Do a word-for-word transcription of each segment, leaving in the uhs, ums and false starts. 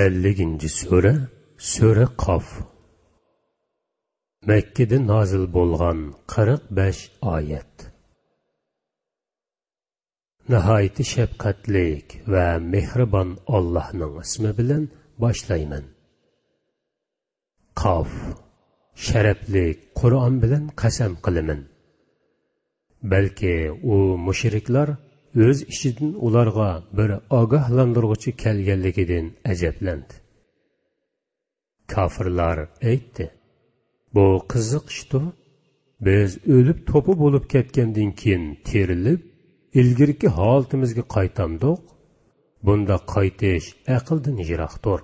ئەللىكىنچى سۈرە، سۈرە قاف. مەككىدە نازىل بولغان قىرىق بەش ئايەت. ناھايىتى شەپقەتلىك ۋە مېھرىبان ئاللاھنىڭ ئىسمى بىلەن باشلايمەن. قاف، شەرەپلىك قۇرئان بىلەن قەسەم قىلىمەن. بەلكى ئۇ مۇشرىكلار ئۆز ئىچىدىن ئۇلارغا بىر ئاگاھلاندۇرغۇچى كەلگەنلىكىدىن ئەجەبلەندى. كاپىرلار ئېيتتى: «بۇ قىزىق ئىشتۇ. بىز ئۆلۈپ توپا بولۇپ كەتكەندىن كېيىن تىرىلىپ، ئىلگىرىكى ھالىتىمىزگە قايتامدۇق؟ بۇنداق قايتىش ئەقىلدىن يىراقتۇر.»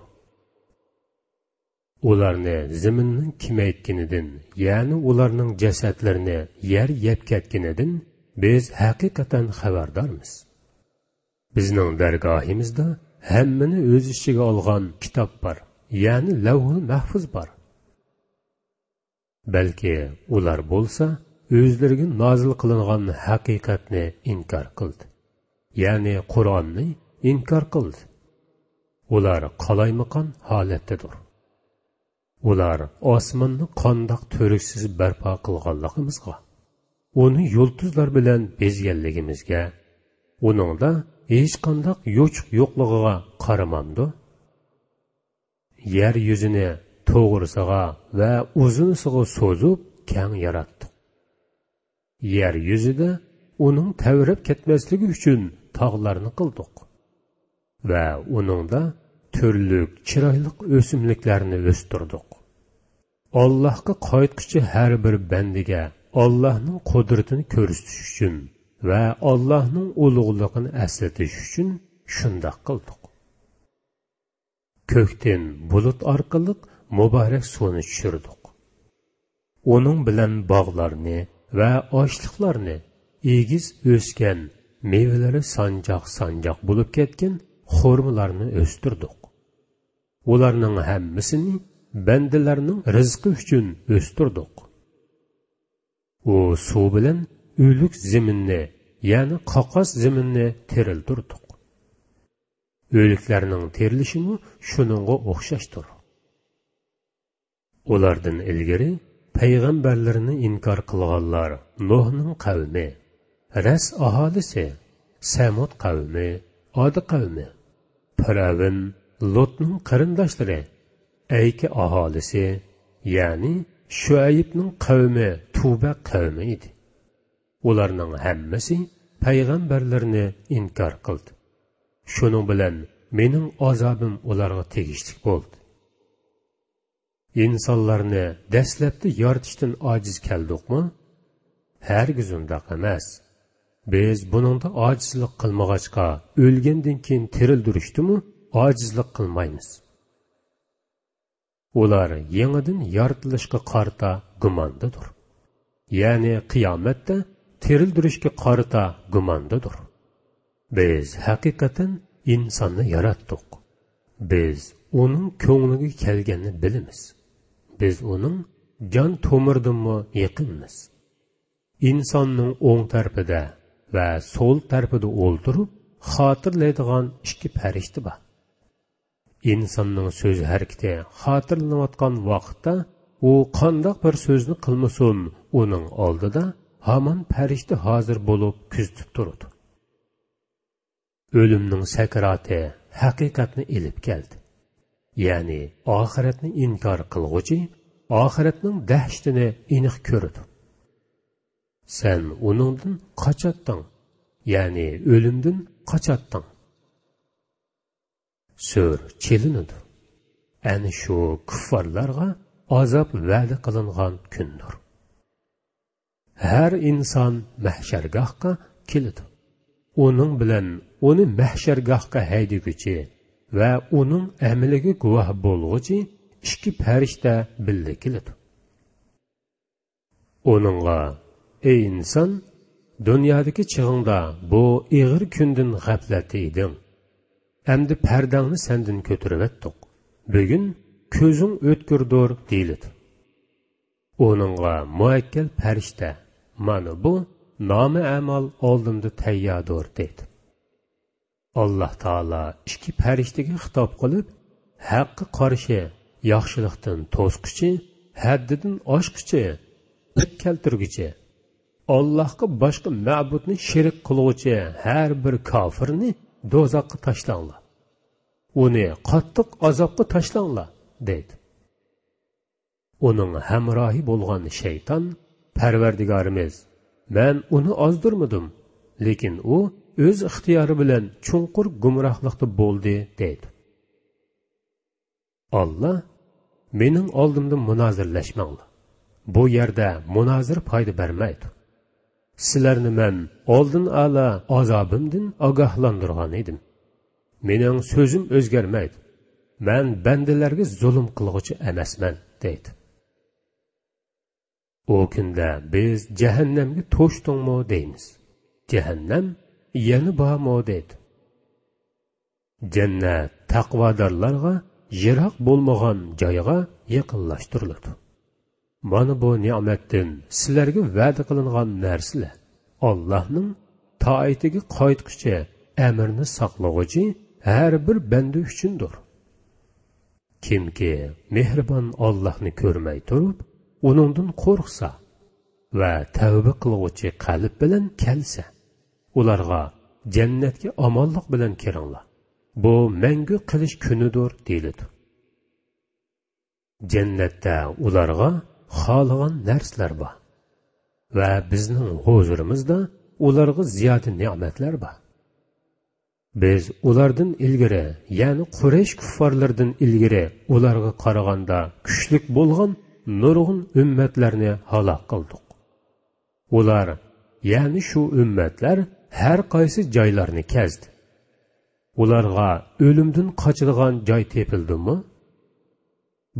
ئۇلارنى زېمىننىڭ كېمەيتكىنىدىن، يەنى ئۇلارنىڭ جەسەتلىرىنى يەر يەپ كەتكىنىدىن بىز ھەقىقەتەن خەۋەردارمىز. بىزنىڭ دەرگاھىمىزدا ھەممىنى ئۆز ئىچىگە ئالغان كىتاب بار، يەنى لەۋھۇل مەھفۇز بار. بەلكى ئۇلار بولسا ئۆزلىرىگە نازىل قىلىنغان ھەقىقەتنى ئىنكار قىلدى، يەنى قۇرئاننى ئىنكار قىلدى. ئۇلار قالايمىقان ھالەتتىدۇر. ئۇلار ئاسماننى قانداق تۈرۈكسىز بەرپا قىلغانلىقىمىزغا، ئۇنى يۇلتۇزلار بىلەن بېزىگەنلىكىمىزگە، ئۇنىڭدا ھېچقانداق يوچۇق يوقلۇقىغا قارىمامدۇ؟ يەر يۈزىنى توغرىسىغا ۋە ئۇزۇنىسىغا سوزۇپ كەڭ ياراتتۇق. يەر يۈزىدە ئۇنىڭ تەۋرەپ كەتمەسلىكى ئۈچۈن تاغلارنى قىلدۇق ۋە ئۇنىڭدا تۈرلۈك چىرايلىق ئۆسۈملۈكلەرنى ئۆستۈردۇق. ئاللاھقا قايتقۇچى ھەر بىر بەندىگە ئاللاھنىڭ قۇدرىتىنى كۆرسىتىش ئۈچۈن ۋە ئاللاھنىڭ ئۇلۇغلۇقىنى ئەسلىتىش ئۈچۈن شۇنداق قىلدۇق. كۆكتىن بۇلۇت ئارقىلىق مۇبارەك سۇنى چۈشۈردۇق. ئۇنىڭ بىلەن باغلارنى ۋە ئاشلىقلارنى، ئېگىز ئۆسكەن، مېۋىلىرى سانجاق-سانجاق بولۇپ كەتكەن خورمىلارنى ئۆستۈردۇق. ئۇلارنىڭ ھەممىسىنى بەندىلەرنىڭ رىزقى ئۈچۈن ئۆستۈردۇق. ئۇ سۇ بىلەن ئۆلۈك زېمىننى، يەنى قاقاس زېمىننى تىرىلدۈردۇق. ئۆلۈكلەرنىڭ تىرىلىشىمۇ شۇنىڭغا ئوخشاشتۇر. ئۇلاردىن ئىلگىرى پەيغەمبەرلىرىنى ئىنكار قىلغانلار نۇھنىڭ قەۋمى، رەس ئاھالىسى، سەمۇد قەۋمى، ئاد قەۋمى، پىرئەۋن، لۇتنىڭ قېرىنداشلىرى، ئەيكە ئاھالىسى، يەنى شۇئەيبنىڭ قەۋمى تۇبە قەۋمى ئىدى. ئۇلارنىڭ ھەممىسى پەيغەمبەرلىرىنى ئىنكار قىلدى. شۇنىڭ بىلەن مېنىڭ ئازابىم ئۇلارغا تېگىشلىك بولدى. ئىنسانلارنى دەسلەپتە يارىتىشتىن ئاجىز كەلدۇقمۇ؟ ھەرگىز ئۇنداق ئەمەس. بىز بۇنىڭدا ئاجىزلىق قىلمىغاچقا، ئۆلگەندىن كېيىن تىرىلدۈرۈشتىمۇ ئاجىزلىق قىلمايمىز. ئۇلار يېڭىدىن يارىتىلىشقا قارىتا گۇماندىدۇر. يەنى قىيامەتتە تىرىلدۈرۈشكە قارىتا گۇماندىدۇر. بىز ھەقىقەتەن ئىنساننى ياراتتۇق. بىز ئۇنىڭ كۆڭلىگە كەلگەننى بىلىمىز. بىز ئۇنىڭ جان تومۇرىدىنمۇ يېقىنمىز. ئىنساننىڭ ئوڭ تەرىپىدە ۋە سول تەرىپىدە ئولتۇرۇپ خاتىرىلەيدىغان ئىككى پەرىشتە بار. ئىنساننىڭ سۆز ھەرىكىتى خاتىرىلىنىۋاتقان ۋاقىتتا، ئۇ قانداق بىر سۆزنى قىلمىسۇن، ئۇنىڭ ئالدىدا ھامان پەرىشتە ھازىر بولۇپ كۆزىتىپ تۇرىدۇ. ئۆلۈمنىڭ سەكراتى ھەقىقەتنى ئېلىپ كەلدى. يەنى ئاخىرەتنى ئىنكار قىلغۇچى ئاخىرەتنىڭ دەھشىتىنى ئېنىق كۆرىدۇ. سەن ئۇنىڭدىن قاچاتتىڭ، يەنى ئۆلۈمدىن قاچاتتىڭ. سۈر چېلىنىدۇ. ئەنە شۇ كۇففارلارغا ئازاب ۋەدە قىلىنغان كۈندۇر. ھەر ئىنسان مەھشەرگاھقا كېلىدۇ. ئۇنىڭ بىلەن ئۇنى مەھشەرگاھقا ھەيدىگۈچى ۋە ئۇنىڭ ئەمىلىگە گۇۋاھ بولغۇچى ئىككى پەرىشتە بىللە كېلىدۇ. ئۇنىڭغا: «ئەي ئىنسان، دۇنيادىكى چېغىڭدا بۇ ئېغىر كۈندىن غەپلەتتە ئىدىڭ. ئەمدى پەردەڭنى سەندىن كۆتۈرۈۋەتتۇق. بۈگۈن كۆزۈڭ ئۆتكۈردۇر» دېيىلىدۇ. ئۇنىڭغا مۇئەككەل پەرىشتە: «مانا بۇ نامە ئەمال ئالدىمدا تەيياردۇر» دەيدۇ. ئاللاھ تائالا ئىككى پەرىشتىگە خىتاب قىلىپ: ھەققە قارشى، ياخشىلىقتىن توسقۇچى، ھەددىدىن ئاشقۇچى، ئېيىب كەلتۈرگۈچى، ئاللاھقا باشقا مەبۇدنى شېرىك قىلغۇچى ھەر بىر كاپىرنى دوزاخقا تاشلاڭلار. ئۇنى قاتتىق ئازابقا تاشلاڭلار، دەيدۇ. ئۇنىڭ ھەمراھى بولغان شەيتان، پەرۋەردىگارىمىز، مەن ئۇنى ئازدۇرمىدىم، لېكىن ئۇ ئۆز ئىختىيارى بىلەن چوڭقۇر گۇمراھلىقتا بولدى، دەيدۇ. ئاللا، مېنىڭ ئالدىمدا مۇنازىرىلەشمەڭلار. بۇ يەردە مۇنازىرە پايدا بەرمەيدۇ. سىلەرنى مەن ئالدىن ئالا ئازابىمدىن ئاگاھلاندۇرغان ئىدىم. مېنىڭ سۆزۈم ئۆزگەرمەيدۇ. مەن بەندىلەرگە زۇلۇم قىلغۇچى ئەمەسمەن، دەيدۇ. ئۇ كۈندە بىز جەھەننەمگە توشتۇڭمۇ دەيمىز. جەھەننەم يەنە بارمۇ دەيدۇ. جەننەت تەقۋادارلارغا يىراق بولمىغان جايغا يېقىنلاشتۇرۇلىدۇ. مانا بۇ نېمەتتىن سىلەرگە ۋەدە قىلىنغان نەرسىلەر. ئاللاھنىڭ تائىتىگە قايتقۇچى، ئەمرىنى ساقلىغۇچى ھەر بىر بەندە ئۈچۈندۇر. كىمكى مېھرىبان ئاللاھنى كۆرمەي تۇرۇپ، ئۇنىڭدىن قورقسا ۋە تەۋبە قىلغۇچى قەلب بىلەن كەلسە، ئۇلارغا جەننەتكە ئامانلىق بىلەن كىرىڭلار. بۇ مەڭگۈ قېلىش كۈنىدۇر، دېيىلىدۇ. جەننەتتە ئۇلارغا خالىغان نەرسىلەر بار ۋە بىزنىڭ ھۇزۇرىمىزدا ئۇلارغا زىيادە نېمەتلەر بار. بىز ئۇلاردىن ئىلگىرى، يەنى قۇرەيش كۇففارلىرىدىن ئىلگىرى ئۇلارغا قارىغاندا كۈچلۈك بولغان نۇرغۇن ئۈممەتلەرنى ھالاك قىلدۇق. ئۇلار، يەنى شۇ ئۈممەتلەر ھەر قايسى جايلارنى كەزدى. ئۇلارغا ئۆلۈمدىن قاچىدىغان جاي تېپىلدىمۇ؟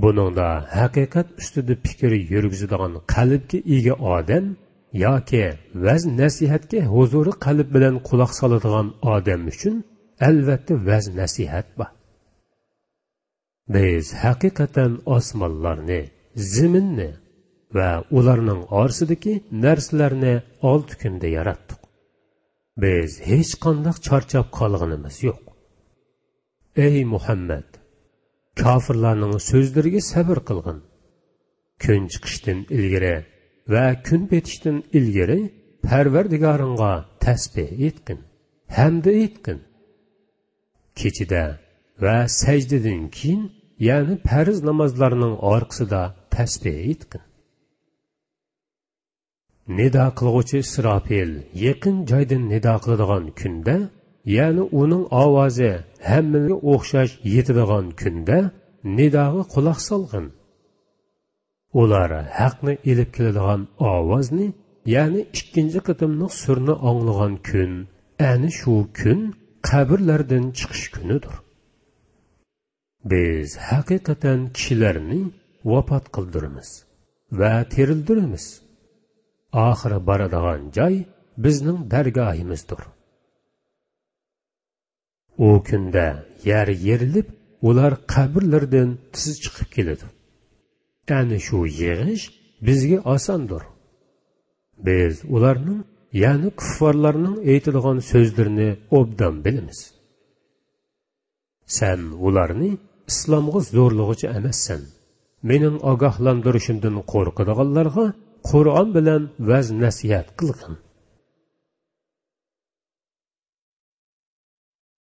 بۇنىڭدا ھەقىقەت ئۈستىدە پىكىر يۈرگۈزىدىغان قەلبكە ئىگە ئادەم ياكى ۋەز-نەسىھەتكە ھۇزۇرى قەلب بىلەن قۇلاق سالىدىغان ئادەم ئۈچۈن ئەلۋەتتە ۋەز-نەسىھەت بار. بىز ھەقىقەتەن ئاسمانلارنى، زېمىننى ۋە ئۇلارنىڭ ئارىسىدىكى نەرسىلەرنى ئالتە كۈندە ياراتتۇق. بىز ھېچقانداق چارچاپ قالغىنىمىز يوق. ئەي مۇھەممەد! كاپىرلارنىڭ سۆزلىرىگە سەۋر قىلغىن. كۈن چىقىشتىن ئىلگىرى ۋە كۈن پېتىشتىن ئىلگىرى پەرۋەردىگارىڭغا تەسبىھ ئېيتقىن، ھەمدە ئېيتقىن. كېچىدە ۋە سەجدىدىن كېيىن، يەنى پەرز نامازلارنىڭ ئارقىسىدا تەسبىھ ئېيتقىن. نىدا قىلغۇچى ئىسراپىل يېقىن جايدىن نىدا قىلىدىغان كۈندە، يەنى ئۇنىڭ ئاۋازى ھەممىگە ئوخشاش يېتىدىغان كۈندە نىداغا قۇلاق سالغىن. ئۇلار ھەقنى ئېلىپ كېلىدىغان ئاۋازنى، يەنى ئىككىنچى قېتىملىق سۈرنى ئاڭلىغان كۈن، ئەنە شۇ كۈن قەبرىلەردىن چىقىش كۈنىدۇر. بىز ھەقىقەتەن كىشىلەرنى ۋاپات قىلدۇرىمىز ۋە تىرىلدۈرىمىز. ئاخىرى بارىدىغان جاي بىزنىڭ دەرگاھىمىزدۇر. ئۇ كۈندە يەر يېرىلىپ، ئۇلار قەبرىلىرىدىن تېز چىقىپ كېلىدۇ. ئەنە شۇ يىغىش بىزگە ئاساندۇر. بىز ئۇلارنىڭ، يەنى كۇففارلارنىڭ ئېيتىدىغان سۆزلىرىنى ئوبدان بىلىمىز. سەن ئۇلارنى ئىسلامغا زورلىغۇچى ئەمەسسەن. مېنىڭ ئاگاھلاندۇرۇشۇمدىن قورقىدىغانلارغا قۇرئان بىلەن ۋەز-نەسىھەت قىلغىن.